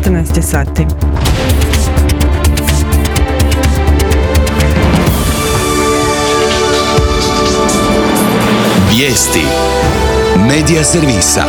14 sati. Vijesti Medija servisa.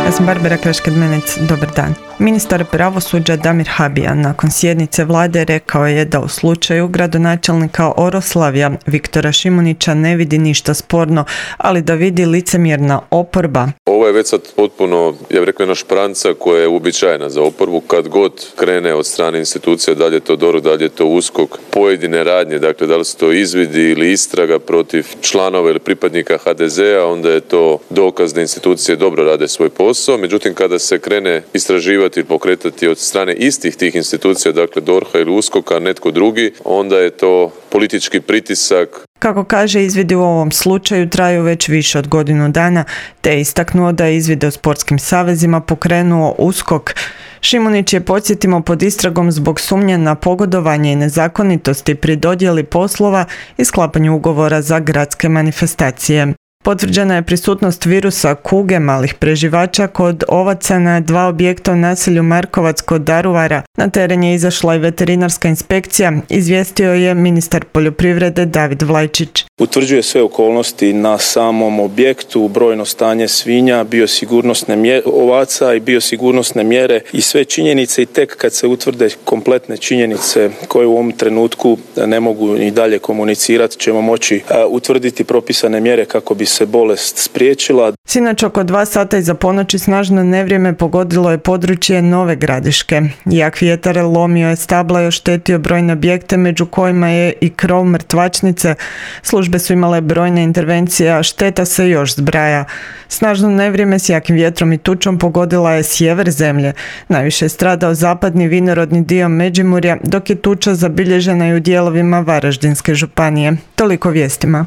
Ja sam Barbara Kreškad-Menec, dobar dan. Ministar pravosuđa Damir Habijan nakon sjednice vlade rekao je da u slučaju gradonačelnika Oroslavlja Viktora Šimunića ne vidi ništa sporno, ali da vidi licemjerna oporba. Ovo je već sad potpuno, ja bih rekao, jedna špranca koja je uobičajena za oporbu. Kad god krene od strane institucija, da li je to DORH, da li je to USKOK, pojedine radnje, dakle da li su to izvidi ili istraga protiv članova ili pripadnika HDZ-a, onda je to dokaz da institucije dobro rade svoj posao. Međutim, kada se krene istraživati ili pokretati od strane istih tih institucija, dakle DORH-a ili USKOK-a, netko drugi, onda je to politički pritisak. Kako kaže, izvidi u ovom slučaju traju već više od godinu dana, te je istaknuo da je izvide u sportskim savezima pokrenuo USKOK. Šimunić je, podsjetimo, pod istragom zbog sumnje na pogodovanje i nezakonitosti pri dodjeli poslova i sklapanju ugovora za gradske manifestacije. Potvrđena je prisutnost virusa kuge malih preživača kod ovaca na 2 objekta u naselju Markovac kod Daruvara. Na teren je izašla i veterinarska inspekcija, izvijestio je ministar poljoprivrede David Vlajčić. Utvrđuje sve okolnosti na samom objektu, brojno stanje svinja, biosigurnosne ovaca i biosigurnosne mjere i sve činjenice, i tek kad se utvrde kompletne činjenice koje u ovom trenutku ne mogu i dalje komunicirati, ćemo moći utvrditi propisane mjere kako bi se bolest spriječila. Sinoć oko 2 sata iza ponoći snažno nevrijeme pogodilo je područje Nove Gradiške. Jak vjetar lomio je stabla i oštetio brojne objekte, među kojima je i krov mrtvačnice. Službe su imale brojne intervencije, a šteta se još zbraja. Snažno nevrijeme s jakim vjetrom i tučom pogodila je sjever zemlje. Najviše je stradao zapadni vinorodni dio Međimurja, dok je tuča zabilježena i u dijelovima Varaždinske županije. Toliko vijestima.